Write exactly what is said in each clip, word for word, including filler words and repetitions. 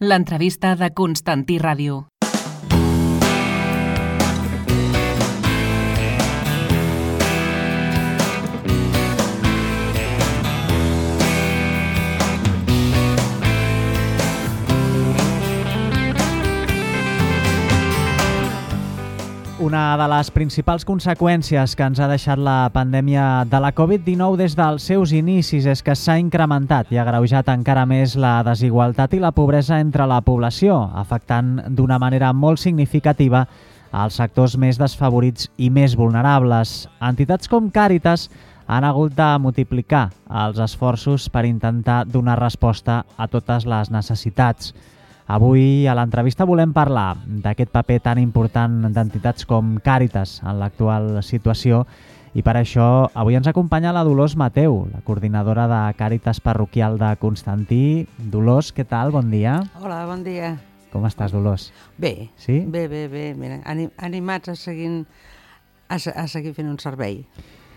L'entrevista de Constantí Ràdio. Una de les principals conseqüències que ens ha deixat la pandèmia de la covid dinou des dels seus inicis és que s'ha incrementat i agreujat encara més la desigualtat i la pobresa entre la població, afectant d'una manera molt significativa als sectors més desfavorits i més vulnerables. Entitats com Càritas han hagut de multiplicar els esforços per intentar donar resposta a totes les necessitats. Avui a l'entrevista volem parlar d'aquest paper tan important d'entitats com Càritas en l'actual situació i per això avui ens acompanya la Dolors Mateu, la coordinadora de Càritas Parroquial de Constantí. Dolors, què tal? Bon dia. Hola, bon dia. Com estàs, Dolors? Bé, sí? bé, bé, bé. Mira, animats a seguir, a, a seguir fent un servei.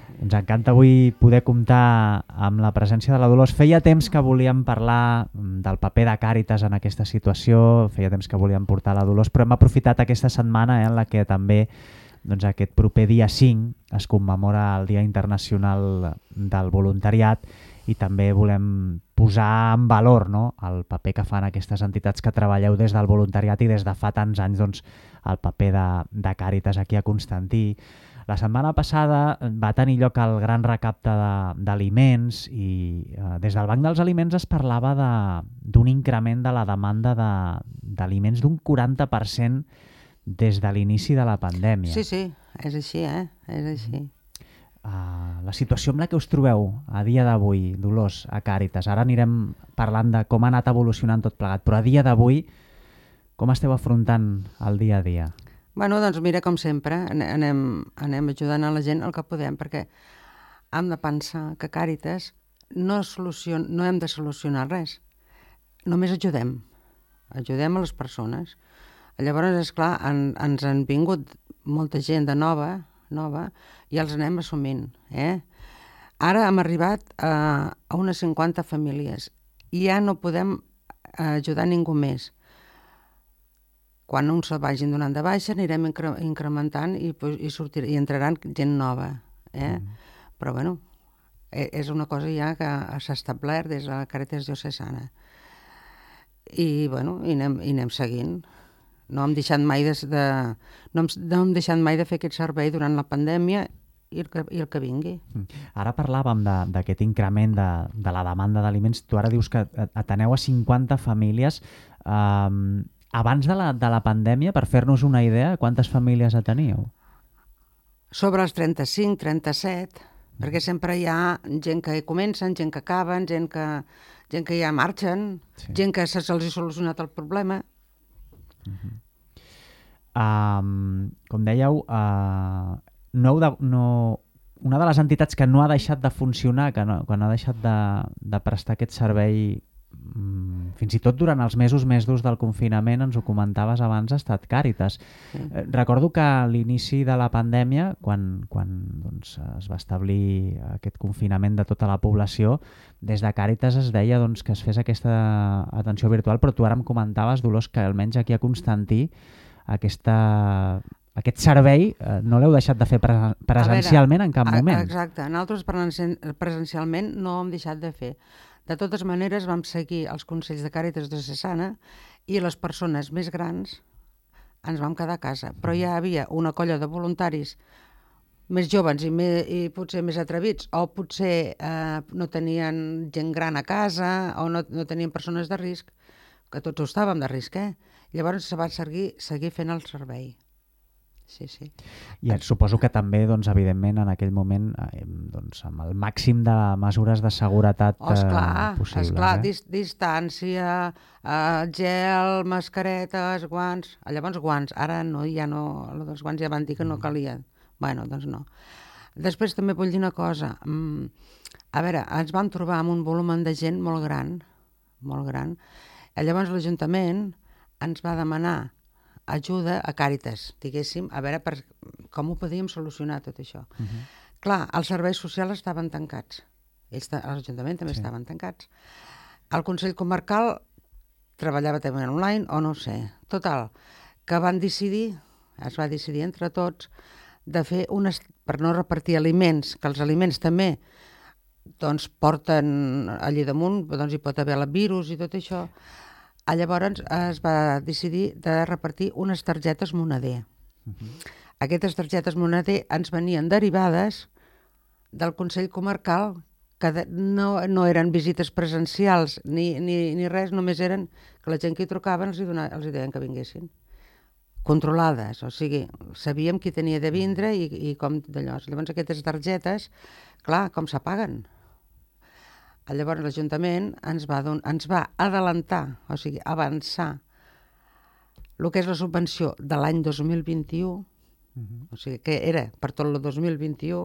Ens encanta avui poder comptar amb la presència de la Dolors. Feia temps que volíem parlar del paper de Càritas en aquesta situació, feia temps que volíem portar la Dolors, però hem aprofitat aquesta setmana eh, en la que també doncs, aquest proper dia cinc es commemora el Dia Internacional del Voluntariat i també volem posar en valor no, el paper que fan aquestes entitats que treballeu des del voluntariat i des de fa tants anys doncs, el paper de, de Càritas aquí a Constantí. La setmana passada va tenir lloc el gran recapte d'aliments i eh, des del Banc dels Aliments es parlava d'un increment de la demanda d'aliments d'un quaranta per cent des de l'inici de la pandèmia. Sí, sí, és així, eh? És així. Uh, la situació amb la que us trobeu a dia d'avui, Dolors, a Càritas, ara anirem parlant de com ha anat evolucionant tot plegat, però a dia d'avui com esteu afrontant el dia a dia? Bueno, doncs mira, com sempre, anem, anem ajudant a la gent el que podem, perquè hem de pensar que Càritas no, solucion, no hem de solucionar res, només ajudem, ajudem a les persones. Llavors, esclar, en, ens han vingut molta gent de nova, nova i els anem assumint. Eh? Ara hem arribat a, a unes cinquanta famílies i ja no podem ajudar ningú més. Quan uns se'l vagin donant de baixa anirem incre incrementant i, i, sortir, i entraran gent nova. Eh? Mm. Però bueno, és una cosa ja que s'ha establert des de la Càritas Diocesana. I bueno, i anem, i anem seguint. No hem deixat mai de, de, no hem, no hem deixat mai de fer aquest servei durant la pandèmia i el que, i el que vingui. Ara parlàvem d'aquest increment de, de la demanda d'aliments. Tu ara dius que ateneu a cinquanta famílies. Um, Abans de la, de la pandèmia, per fer-nos una idea, quantes famílies ateníeu? Sobre els trenta-cinc, trenta-set, mm. perquè sempre hi ha gent que comencen, gent que acaben, gent que, gent que ja marxen, sí. gent que se'ls ha solucionat el problema. Uh-huh. um, com dèieu, uh, no, de, no, una de les entitats que no ha deixat de funcionar, que no, quan ha deixat de, de prestar aquest servei fins i tot durant els mesos més durs del confinament, ens ho comentaves abans, ha estat Càritas. Sí. Eh, recordo que a l'inici de la pandèmia, quan, quan doncs, es va establir aquest confinament de tota la població, des de Càritas es deia doncs, que es fes aquesta atenció virtual, però tu ara em comentaves, Dolors, que almenys aquí a Constantí aquesta... aquest servei eh, no l'heu deixat de fer pre presencialment veure, en cap moment. Exacte, nosaltres presencialment no ho hem deixat de fer. De totes maneres, vam seguir els consells de Càritas Diocesana i les persones més grans ens vam quedar a casa. Però ja havia una colla de voluntaris més joves i, més, i potser més atrevits, o potser eh, no tenien gent gran a casa, o no, no tenien persones de risc, que tots ho estàvem de risc, eh? Llavors se va seguir, seguir fent el servei. Sí, sí. I et suposo que també, doncs, evidentment, en aquell moment, eh, doncs, amb el màxim de mesures de seguretat oh, esclar, eh, possibles. Esclar, eh? dis distància, eh, gel, mascaretes, guants... Llavors guants, ara no, ja no, els guants ja van dir que no calia. Bueno, doncs no. Després també vull dir una cosa. A veure, ens vam trobar amb un volum de gent molt gran, molt gran. Llavors l'Ajuntament ens va demanar ajuda a Càritas, diguéssim, a veure per, com ho podíem solucionar tot això. Uh-huh. Clar, els serveis socials estaven tancats. Ells, l'Ajuntament també sí. estaven tancats. El Consell Comarcal treballava també online o no ho sé. Total, que van decidir, es va decidir entre tots, de fer unes, per no repartir aliments, que els aliments també doncs, porten allí damunt, doncs hi pot haver el virus i tot això. Llavors es va decidir de repartir unes targetes moneder. Uh-huh. Aquestes targetes moneder ens venien derivades del Consell Comarcal, que de, no, no eren visites presencials ni, ni, ni res, només eren que la gent que hi trucaven els hi, donava, els hi deien que vinguessin. Controlades, o sigui, sabíem qui tenia de vindre i, i com d'allò. Llavors aquestes targetes, clar, com s'apaguen? Llavors l'Ajuntament ens va, don, ens va adelantar, o sigui, avançar el que és la subvenció de l'any dos mil vint-i-u, uh-huh. o sigui, que era per tot el dos mil vint-i-u,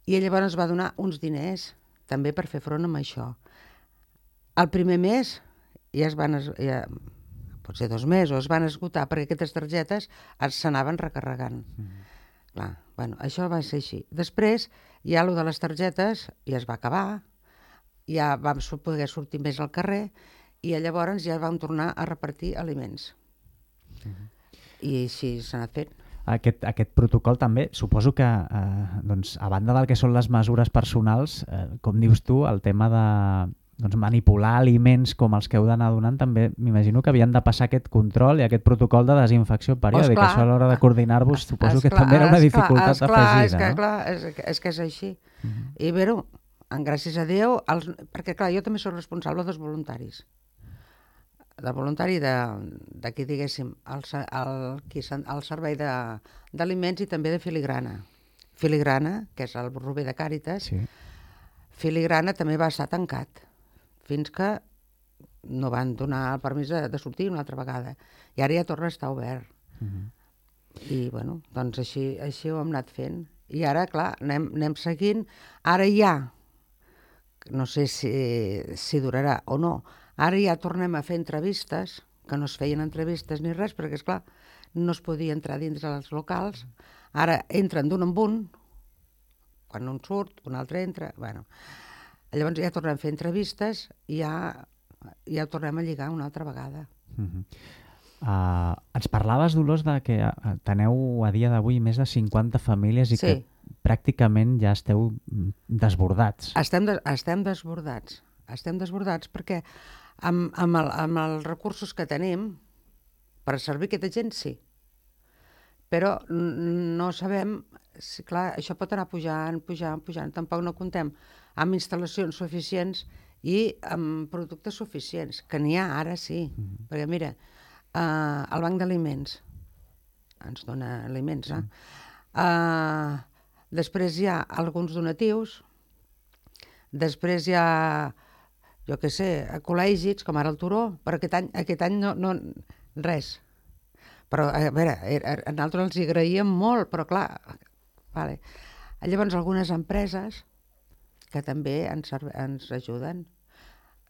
i llavors ens va donar uns diners també per fer front amb això. El primer mes ja es van, ja, potser dos mesos, es van esgotar perquè aquestes targetes s'anaven recarregant. Uh-huh. Clar, bueno, això va ser així. Després, ja allò de les targetes ja es va acabar, ja vam poder sortir més al carrer i llavors ja vam tornar a repartir aliments. Uh-huh. I així s'ha anat fent. Aquest, aquest protocol també, suposo que, eh, doncs, a banda del que són les mesures personals, eh, com dius tu, el tema de doncs, manipular aliments com els que heu d'anar donant, també m'imagino que havien de passar aquest control i aquest protocol de desinfecció periòdica. Pues això a l'hora de coordinar-vos suposo que també era una dificultat afegida. És que, clar, és, és que és així. Uh-huh. I bé, en gràcies a Déu, els, perquè clar, jo també soc responsable dels voluntaris. Del voluntari d'aquí, de, diguéssim, el, el, el servei d'aliments i també de filigrana. Filigrana, que és el Rober de Càritas, sí. Filigrana també va estar tancat, fins que no van donar el permís de, de sortir una altra vegada. I ara ja torna a estar obert. Uh-huh. I, bueno, doncs així, així ho hem anat fent. I ara, clar, anem, anem seguint. Ara ja, no sé si, si durarà o no, ara ja tornem a fer entrevistes, que no es feien entrevistes ni res, perquè, esclar, no es podia entrar dins dels locals. Ara entren d'un en un, quan un surt, un altre entra, bueno. Llavors ja tornem a fer entrevistes i ja, ja tornem a lligar una altra vegada. Uh-huh. Uh, ens parlaves, Dolors, de que teneu a dia d'avui més de cinquanta famílies i sí. que pràcticament ja esteu desbordats. Estem, de, estem desbordats. Estem desbordats perquè amb, amb, el, amb els recursos que tenim per servir aquesta gent, sí. Però no sabem, si, clar, això pot anar pujant, pujant, pujant. Tampoc no comptem amb instal·lacions suficients i amb productes suficients, que n'hi ha ara, sí. Mm-hmm. Perquè mira, Uh, el Banc d'Aliments ens dona aliments, eh? Uh, després hi ha alguns donatius, després hi ha, jo què sé, col·legis, com ara el Turó, però aquest any, aquest any no, no, res. Però, a veure, a nosaltres els hi agraïem molt, però clar, vale. Llavors algunes empreses que també ens, ens ajuden.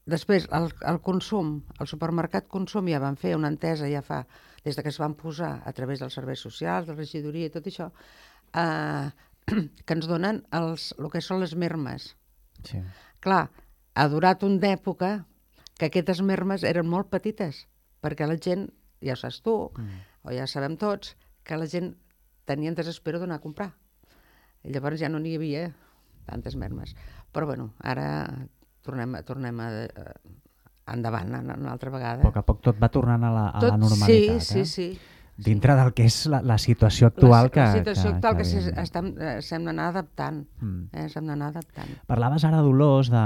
Després, el, el consum, el supermercat Consum ja van fer una entesa ja fa, des de que es van posar a través dels serveis socials, de la regidoria i tot això, eh, que ens donen els, el que són les mermes. Sí. Clar, ha durat una època que aquestes mermes eren molt petites, perquè la gent, ja ho saps tu, mm. o ja sabem tots, que la gent tenia desespero d'anar a comprar. I llavors ja no n'hi havia tantes mermes. Però bueno, ara tornem, tornem a, a endavant una altra vegada. A poc a poc tot va tornant a la, a tot, la normalitat. Sí, eh? sí, sí. Dintre sí. del que és la, la situació actual. La, que, la situació que, actual que, que, que estem, s'hem d'anar adaptant. Mm. Eh, s'hem d'anar adaptant. Parlaves ara, Dolors, de,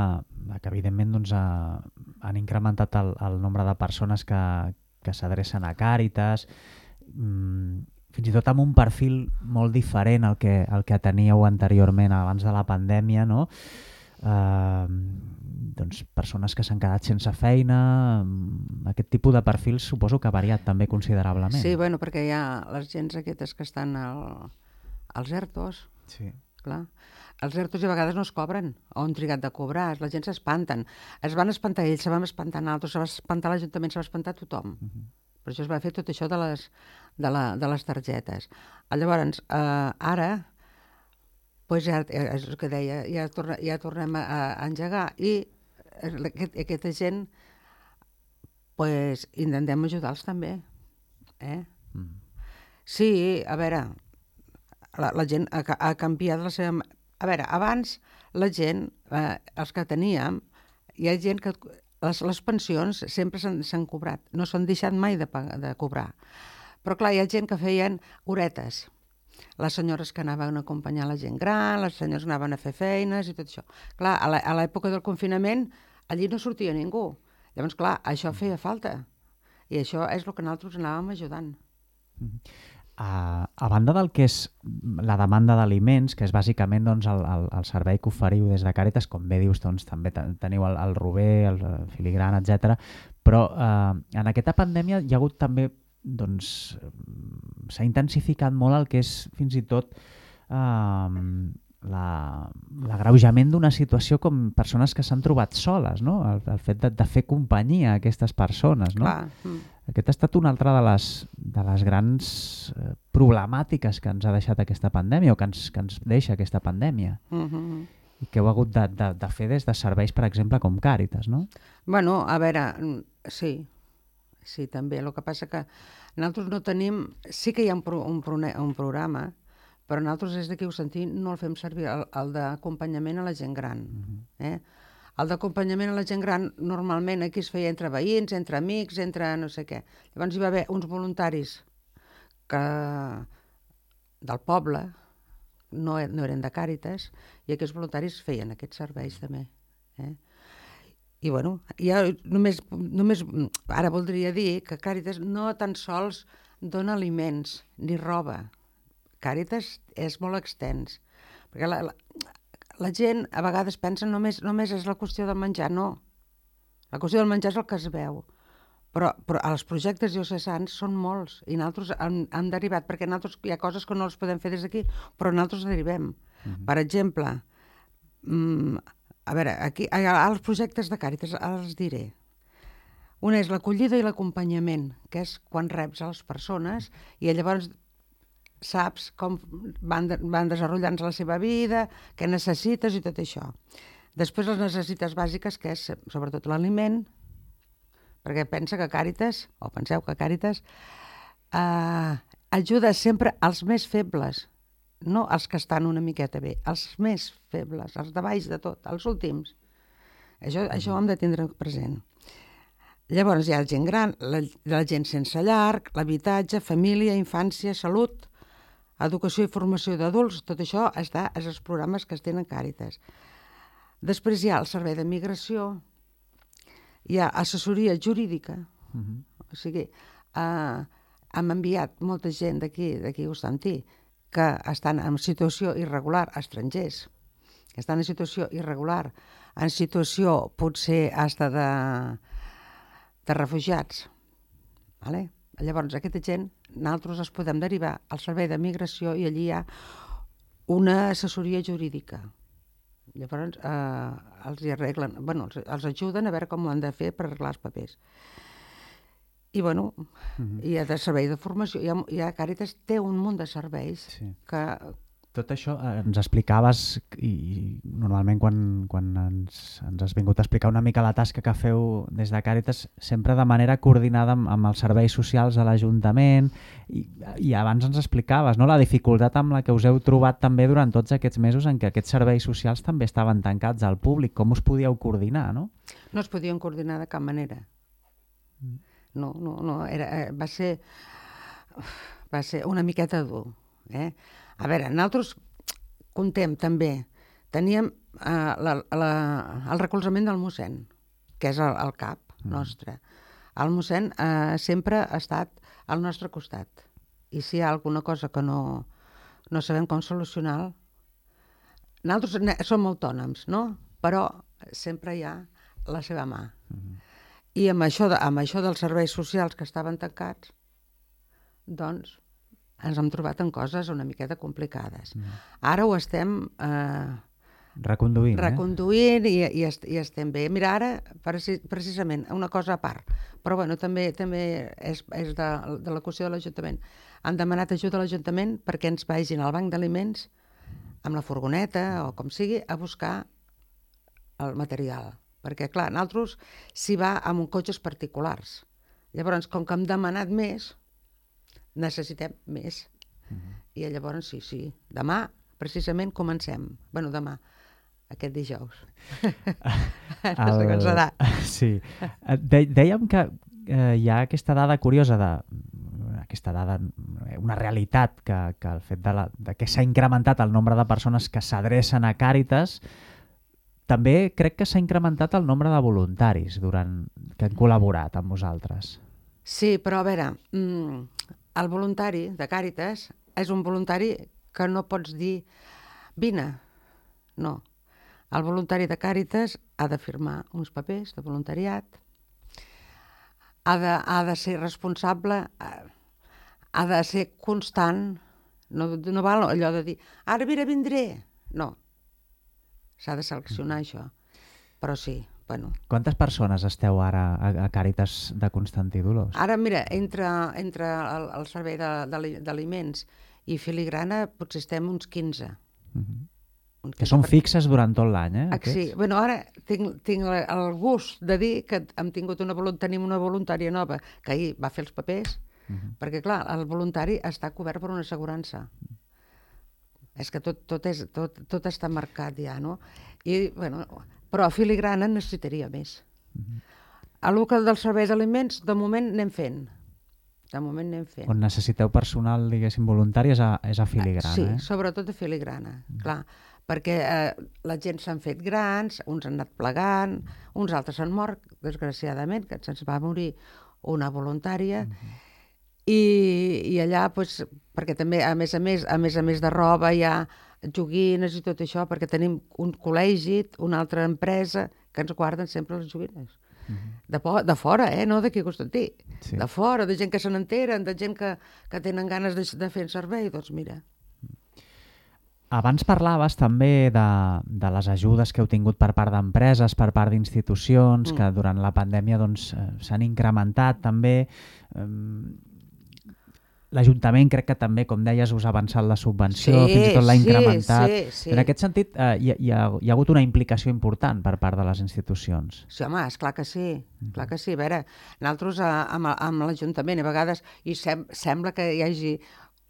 de que evidentment doncs, a, han incrementat el, el nombre de persones que, que s'adrecen a Càritas, mm, fins i tot amb un perfil molt diferent al que, al que teníeu anteriorment, abans de la pandèmia, no? Uh, doncs persones que s'han quedat sense feina, aquest tipus de perfils suposo que ha variat també considerablement. Sí, bueno, perquè hi ha les gens aquestes que estan al, als ERTOs, sí. Clar. Els ERTOs a vegades no es cobren, o han trigat de cobrar, la gent s'espanten. Es van espantar ells, se van espantar altres, se va espantar l'Ajuntament, se va espantar tothom. Uh-huh. Per això es va fer tot això de les, de la, de les targetes. Llavors, eh, ara, pues ja, és el que deia, ja, torna, ja tornem a, a engegar i aquest, aquesta gent pues, intentem ajudar-los també. Eh? Mm. Sí, a veure, la, la gent ha, ha canviat la seva... A veure, abans la gent, eh, els que teníem, hi ha gent que... Les, les pensions sempre s'han cobrat, no s'han deixat mai de, de cobrar. Però clar, hi ha gent que feien horetes. Les senyores que anaven a acompanyar la gent gran, les senyores que anaven a fer feines i tot això. Clar, a l'època del confinament allí no sortia ningú. Llavors, clar, això feia falta. I això és el que nosaltres anàvem ajudant. A, a banda del que és la demanda d'aliments, que és bàsicament doncs, el, el, el servei que oferiu des de Càritas, com bé dius, doncs, també teniu el, el Rober, el Filigran, etcètera. Però eh, en aquesta pandèmia hi ha hagut també, doncs, s'ha intensificat molt el que és fins i tot eh, l'agreujament d'una situació com persones que s'han trobat soles, no? El, el fet de, de fer companyia a aquestes persones, no? Clar. Mm. Aquest ha estat una altra de les, de les grans eh, problemàtiques que ens ha deixat aquesta pandèmia o que ens, que ens deixa aquesta pandèmia. Mm-hmm. I que heu hagut de, de, de fer des de serveis, per exemple, com Càritas, no? Bueno, a veure, sí, sí, també. El que passa que nosaltres no tenim... Sí que hi ha un, pro, un, un programa, però nosaltres des d'aquí ho sentim no el fem servir, el, el d'acompanyament a la gent gran. Mm-hmm. eh? El d'acompanyament a la gent gran normalment aquí es feia entre veïns, entre amics, entre no sé què. Llavors hi va haver uns voluntaris que del poble, no, no eren de Càritas, i aquests voluntaris feien aquests serveis també. Eh? I bueno, ja només, només ara voldria dir que Càritas no tan sols dona aliments ni roba. Càritas és molt extens, perquè la, la, la gent a vegades pensa només, només és la qüestió del menjar, no. La qüestió del menjar és el que es veu, però, però els projectes diocesans són molts i nosaltres hem, hem derivat, perquè nosaltres hi ha coses que no les podem fer des d'aquí, però nosaltres derivem. Mm-hmm. Per exemple, mm, a veure, aquí els projectes de Càritas els diré. Un és l'acollida i l'acompanyament, que és quan reps a les persones i llavors saps com van, de, van desenvolupant la seva vida, què necessites i tot això. Després les necessitats bàsiques, que és sobretot l'aliment, perquè pensa que Càritas, o penseu que Càritas, eh, ajuda sempre als més febles, no els que estan una miqueta bé, els més febles, els de baix de tot, els últims. Això, això ho hem de tindre present. Llavors hi ha la gent gran, la, la gent sense llar, l'habitatge, família, infància, salut, educació i formació d'adults, tot això està als els programes que es tenen Càritas. Després hi ha el servei de migració, hi ha assessoria jurídica, uh-huh. o sigui, eh, hem enviat molta gent d'aquí, d'aquí a Constantí, que estan en situació irregular, estrangers, que estan en situació irregular, en situació potser hasta de, de refugiats, vale? Llavors, aquesta gent, nosaltres els podem derivar al servei de migració i allí hi ha una assessoria jurídica. Llavors, eh, els hi arreglen, bueno, els, els ajuden a veure com ho han de fer per arreglar els papers. I, bueno, uh-huh. hi ha de servei de formació. Hi ha, hi ha Càritas té un munt de serveis sí. que... Tot això eh, ens explicaves i, i normalment quan, quan ens, ens has vingut a explicar una mica la tasca que feu des de Càritas sempre de manera coordinada amb, amb els serveis socials de l'Ajuntament i, i abans ens explicaves, no?, la dificultat amb la que us heu trobat també durant tots aquests mesos en què aquests serveis socials també estaven tancats al públic. Com us podíeu coordinar, no? No es podien coordinar de cap manera. No, no, no. Era, va ser, va ser una miqueta dur, eh? A veure, nosaltres contem també, teníem eh, la, la, el recolzament del mossèn, que és el, el cap nostre. El mossèn eh, sempre ha estat al nostre costat. I si hi ha alguna cosa que no, no sabem com solucionar, nosaltres som autònoms, no? Però sempre hi ha la seva mà. Mm-hmm. I amb això, de, amb això dels serveis socials que estaven tancats, doncs ens hem trobat en coses una miqueta complicades. Mm. Ara ho estem eh, reconduint, reconduint eh? i, i, est, i estem bé. Mira, ara, precisament, una cosa a part, però bueno, també també és, és de, de la qüestió de l'Ajuntament. Han demanat ajuda a l'Ajuntament perquè ens vagin al banc d'aliments amb la furgoneta o com sigui a buscar el material. perquè, clar, nosaltres s'hi va amb cotxes particulars. Llavors, com que hem demanat més, necessitem més. Uh-huh. I llavors, sí, sí, demà, precisament, comencem. Bueno, demà, aquest dijous. No sé com serà. Sí. De dèiem que eh, hi ha aquesta dada curiosa de aquesta dada, una realitat que, que el fet de, la, de que s'ha incrementat el nombre de persones que s'adrecen a Càritas, també crec que s'ha incrementat el nombre de voluntaris durant que han col·laborat amb vosaltres. Sí, però a veure, el voluntari de Càritas és un voluntari que no pots dir vine, no. El voluntari de Càritas ha de firmar uns papers de voluntariat, ha de, ha de ser responsable, ha de ser constant, no, no val allò de dir, ara mira, vindré. No, s'ha de seleccionar això, però sí, bueno. Quantes persones esteu ara a, a Càritas de Constantí Dolors? Ara, mira, entre, entre el, el servei d'aliments i filigrana potser estem uns quinze. Uh-huh. uns que són per... fixes durant tot l'any, eh? Ah, sí, bueno, ara tinc, tinc el gust de dir que hem tingut una, tenim una voluntària nova que ahir va fer els papers, uh-huh. perquè, clar, el voluntari està cobert per una assegurança. Uh-huh. És que tot, tot, és, tot, tot està marcat ja, no? I, bueno, però a filigrana necessitaria més. Uh-huh. A l'úcal dels serveis d'aliments, de moment anem fent. De moment anem fent. On necessiteu personal, diguéssim, voluntari és a, és a filigrana, sí, eh? Sí, sobretot a filigrana, uh-huh. clar. Perquè eh, la gent s'han fet grans, uns han anat plegant, uns altres han mort, desgraciadament, que se'ns va morir una voluntària, uh-huh. I, i allà, pues, perquè també, a més a més, a més a més de roba, hi ha joguines i tot això, perquè tenim un col·legi, una altra empresa, que ens guarden sempre les joguines. Uh-huh. De, de fora, eh? No d'aquí a Constantí. Sí. De fora, de gent que se n'enteren, de gent que, que tenen ganes de, de fer servei, doncs mira. Abans parlaves també de, de les ajudes que heu tingut per part d'empreses, per part d'institucions, mm. que durant la pandèmia doncs, s'han incrementat també. L'Ajuntament crec que també, com deies, us ha avançat la subvenció, sí, fins i tot l'ha incrementat. Sí, sí. En aquest sentit, eh, hi, hi, ha, hi ha hagut una implicació important per part de les institucions. Sí, home, esclar que sí. Mm. Clar que sí. A veure, nosaltres amb, amb l'Ajuntament a vegades i sem sembla que hi hagi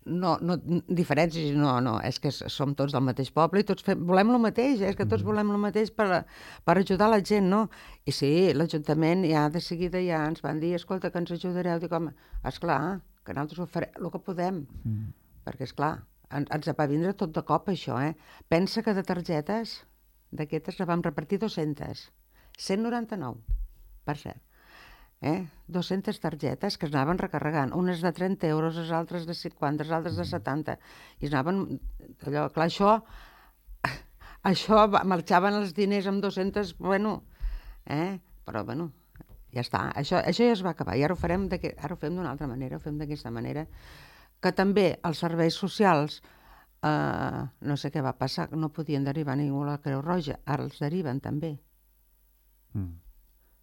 no, no, diferències, no, no, és que som tots del mateix poble i tots fem, volem el mateix, és que tots volem el mateix per, per ajudar la gent, no? I sí, l'Ajuntament ja de seguida ja ens van dir, escolta, que ens ajudareu. Dic, home, esclar, que nosaltres ho farem el que podem, mm. perquè, esclar, en, ens va vindre tot de cop això, eh? Pensa que de targetes d'aquestes la vam repartir dues-centes, cent noranta-nou, per cert. Eh? dues-centes targetes que es anaven recarregant, unes de trenta euros, les altres de cinquanta, les altres de setanta, i es anaven, allò, clar, això, això marxaven els diners amb dues-centes, bueno, eh? Però, bueno, ja està, això, això ja es va acabar, i ara ho farem ara ho fem d'una altra manera, ho fem d'aquesta manera, que també els serveis socials, eh, no sé què va passar, no podien derivar ningú a la Creu Roja, ara els deriven també. Mm.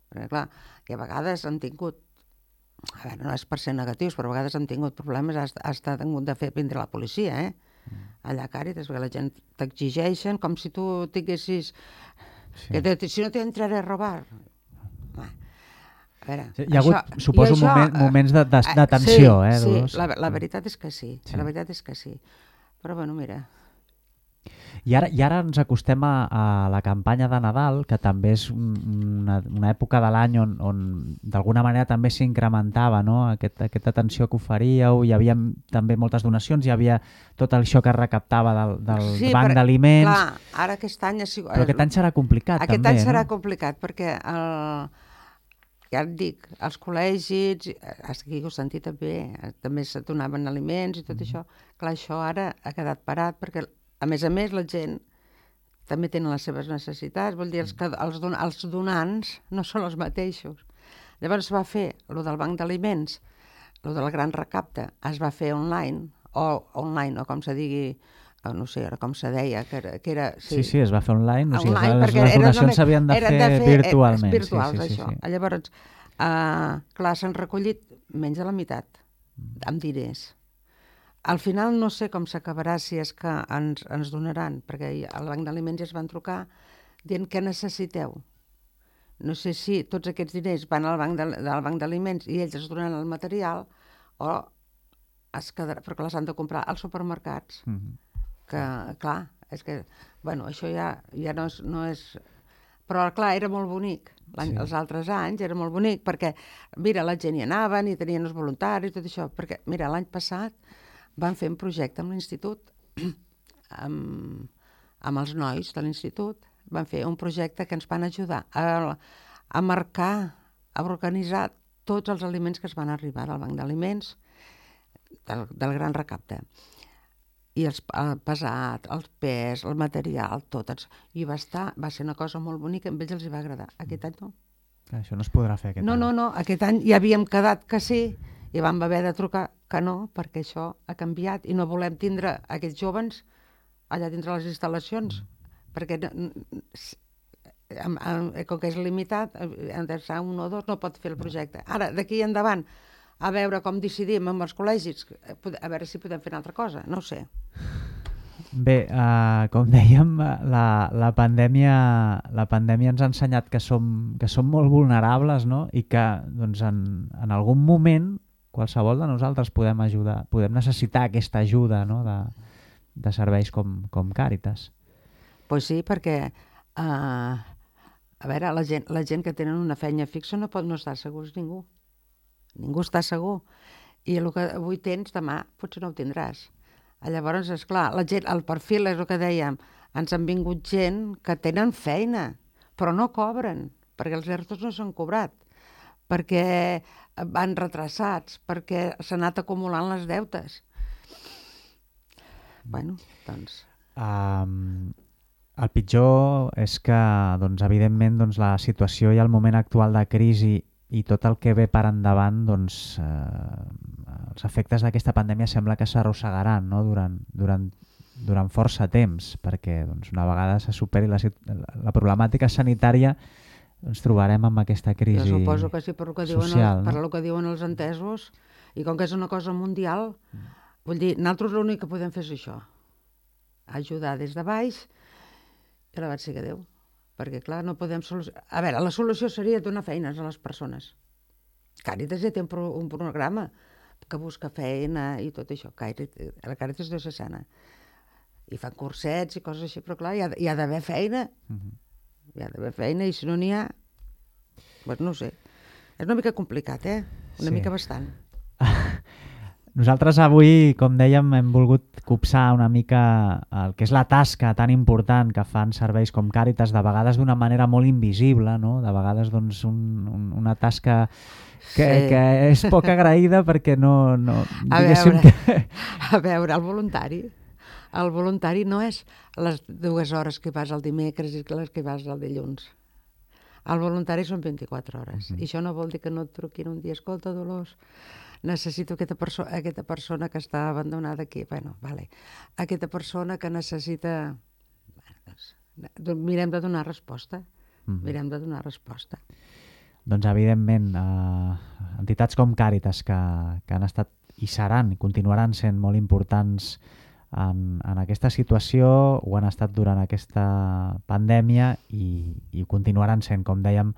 Perquè, clar, que a vegades han tingut, a veure, no és per ser negatius, però a vegades han tingut problemes, has, has tingut de fer vindre la policia, eh? Mm. Allà a Càritas, perquè la gent t'exigeixen com si tu tinguessis... Sí. Que te, si no t'entraré a robar. A veure, sí, hi ha hagut, això, suposo, això, moment, moments de, de, de tensió, sí, eh? Sí, la, la veritat és que sí, sí, la veritat és que sí. Però, bueno, mira... I ara, I ara ens acostem a, a la campanya de Nadal, que també és una, una època de l'any on, on d'alguna manera també s'incrementava, no? Aquest, aquesta atenció que oferíeu, hi havia també moltes donacions, hi havia tot això que es recaptava del, del sí, banc d'aliments... Clar, ara aquest any... Ha sigut, però aquest any serà complicat, aquest també, any serà no? complicat, perquè el, ja et dic, els col·legis, aquí ho sentit també, també se donaven aliments i tot mm. això. Clar, això ara ha quedat parat, perquè a més a més, la gent també tenen les seves necessitats, vol dir, els, que, els, don, els donants no són els mateixos. Llavors es va fer el del banc d'aliments, el del gran recapte, es va fer online, o online, o com se digui, no sé, com se deia, que era... Que era sí. sí, sí, es va fer online, o sigui, online les, les donacions s'havien de, de fer virtualment. Virtuals, sí, sí, això. Sí, sí. Llavors, uh, clar, s'han recollit menys de la meitat, amb diners. Al final no sé com s'acabarà si és que ens, ens donaran, perquè al banc d'aliments ja es van trucar dient què necessiteu. no sé si tots aquests diners van al banc de, del banc d'aliments i ells es donen el material o es quedarà, perquè les han de comprar als supermercats. Mm-hmm. Que, clar, és que, bueno, això ja, ja no és... No és... Però, clar, era molt bonic. Sí. Els altres anys era molt bonic perquè, mira, la gent hi anaven i tenien els voluntaris i tot això. Perquè, mira, l'any passat van fer un projecte amb l'institut, amb, amb els nois de l'institut, van fer un projecte que ens van ajudar a, a marcar, a organitzar tots els aliments que es van arribar del banc d'aliments del, del gran recapte. I els, el pesat, el pes, el material, tot. I va estar, va ser una cosa molt bonica, a ells els hi va agradar. Aquest any no. Això no es podrà fer aquest no, any. No, no, no, aquest any ja havíem quedat que sí i vam haver de trucar que no, perquè això ha canviat i no volem tindre aquests jóvens allà dintre les instal·lacions, mm. perquè com que és limitat, han de ser un o dos, no pot fer el projecte. Ara, d'aquí endavant, a veure com decidim amb els col·legis, a veure si podem fer una altra cosa, no ho sé. Bé, uh, com dèiem, la, la, pandèmia, la pandèmia ens ha ensenyat que som, que som molt vulnerables, no? I que doncs, en, en algun moment qualsevol de nosaltres podem ajudar, podem necessitar aquesta ajuda, no? de, de serveis com, com Càritas. Pues sí, perquè uh, a veure, la gent, la gent que tenen una feina fixa no pot no estar segurs ningú. Ningú està segur. I el que avui tens, demà potser no ho tindràs. Llavors, esclar, la gent, el perfil és el que dèiem, ens han vingut gent que tenen feina, però no cobren, perquè els ERTOs no s'han cobrat, perquè van retrasats, perquè s'han anat acumulant les deutes. Bueno, doncs... Um, el pitjor és que, doncs, evidentment, doncs, la situació i el moment actual de crisi i tot el que ve per endavant, doncs, eh, els efectes d'aquesta pandèmia sembla que s'arrossegaran, no? durant, durant, durant força temps, perquè doncs, una vegada se superi la, la problemàtica sanitària ens trobarem amb aquesta crisi social. Jo suposo que sí, per el que diuen, social, els, no? per el que diuen els entesos, i com que és una cosa mundial, mm. vull dir, nosaltres l'únic que podem fer és això, ajudar des de baix, i la vaig ser que Déu. Perquè, clar, no podem solucionar... A veure, la solució seria donar feines a les persones. Càritas ja té un, pro... un programa que busca feina i tot això. Càritas, la Càritas diocesana. I fan cursets i coses així, però clar, hi ha, hi ha d'haver feina. Uh-huh. Hi ha d'haver feina i si no n'hi ha... Pues no ho sé. És una mica complicat, eh? Una sí. mica bastant. Nosaltres avui, com dèiem, hem volgut copsar una mica el que és la tasca tan important que fan serveis com Càritas, de vegades d'una manera molt invisible, no? De vegades doncs, un, un, una tasca que, sí. que és poc agraïda perquè no... no a, veure, que... a veure, el voluntari, el voluntari no és les dues hores que vas el dimecres i les que vas el dilluns. El voluntari són vint-i-quatre hores. Uh-huh. I això no vol dir que no et truquin un dia, escolta, Dolors, necessito aquesta, perso aquesta persona que està abandonada aquí. Bueno, vale. Aquesta persona que necessita... Bueno, doncs, mirem de donar resposta. Mm-hmm. Mirem de donar resposta. Doncs, evidentment, eh, entitats com Càritas, que, que han estat i seran, i continuaran sent molt importants en, en aquesta situació, ho han estat durant aquesta pandèmia i, i continuaran sent, com dèiem,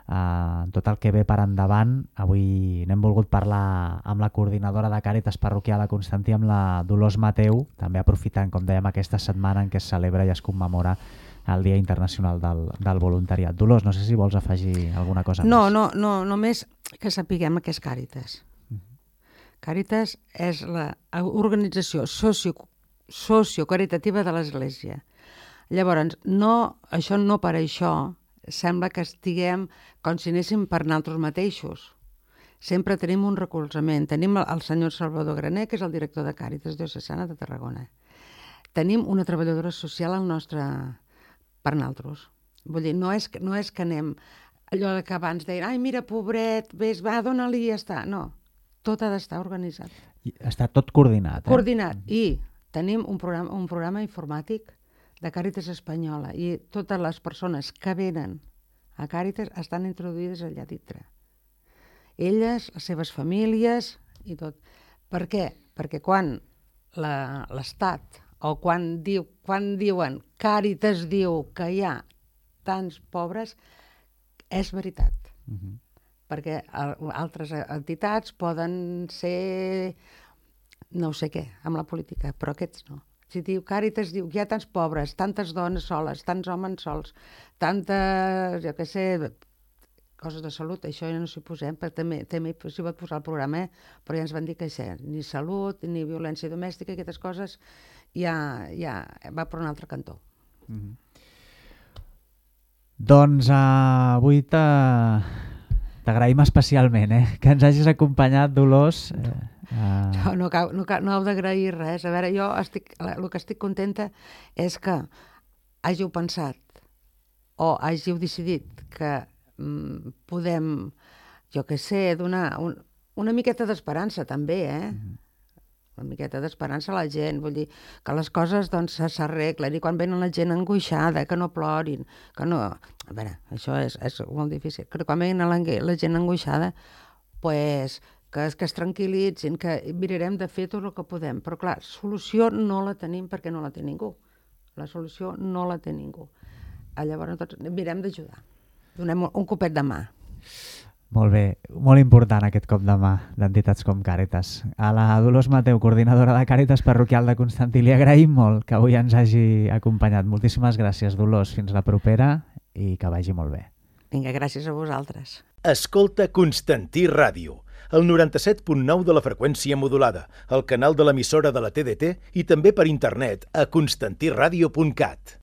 Uh, tot el que ve per endavant. Avui n'hem volgut parlar amb la coordinadora de Càritas Parroquial a Constantí, amb la Dolors Mateu, també aprofitant, com dèiem, aquesta setmana en què es celebra i es commemora el Dia Internacional del, del Voluntariat. Dolors, no sé si vols afegir alguna cosa no, més. No, no, només que sapiguem què és Càritas. Uh-huh. Càritas és l'organització socio, sociocaritativa de l'Església. Llavors, no, això no per això sembla que estiguem com si anéssim per nosaltres mateixos. Sempre tenim un recolzament. Tenim el senyor Salvador Graner, que és el director de Càritas Diocesana de Tarragona. Tenim una treballadora social al nostre... per nosaltres. Vull dir, no és, no és que anem... Allò que abans deien, ai, mira, pobret, ves, va, dona-li i ja està. No, tot ha d'estar organitzat. I està tot coordinat. Eh? Coordinat. I tenim un programa, un programa informàtic de Càritas Espanyola i totes les persones que venen a Càritas estan introduïdes allà dintre. Elles, les seves famílies i tot. Per què? Perquè quan l'Estat o quan, diu, quan diuen Càritas diu que hi ha tants pobres, és veritat. Uh-huh. Perquè altres entitats poden ser no sé què, amb la política, però aquests no. Si diu Càritas, diu que hi ha tants pobres, tantes dones soles, tants homes sols, tantes, jo què sé, coses de salut, això ja no s'hi posem, perquè també, també s'hi pot posar el programa, eh? Però ja ens van dir que això, ni salut, ni violència domèstica, aquestes coses, ja, ja va per un altre cantó. Mm-hmm. Doncs uh, avui t'agraïm especialment, eh? Que ens hagis acompanyat, Dolors. Eh, uh... No, no, cal, no, cal, no heu d'agrair res. A veure, jo estic, el que estic contenta és que hàgiu pensat o hàgiu decidit que mm, podem, jo què sé, donar un, una miqueta d'esperança també, eh? Mm-hmm. Una miqueta d'esperança a la gent, vull dir, que les coses doncs s'arreglen, i quan venen la gent angoixada, que no plorin, que no... A veure, això és, és molt difícil, que quan venen la, la gent angoixada, pues, que, que es tranquil·litzin, que mirarem de fer tot el que podem, però clar, solució no la tenim perquè no la té ningú. La solució no la té ningú. Llavors, tots mirem d'ajudar. Donem un copet de mà. Molt bé, molt important aquest cop de mà d'entitats com Càritas. A la Dolors Mateu, coordinadora de Càritas Parroquial de Constantí, li agraïm molt que avui ens hagi acompanyat. Moltíssimes gràcies, Dolors. Fins la propera i que vagi molt bé. Vinga, gràcies a vosaltres. Escolta Constantí Ràdio, el noranta-set punt nou de la freqüència modulada, el canal de l'emissora de la T D T i també per internet a constantí ràdio punt cat.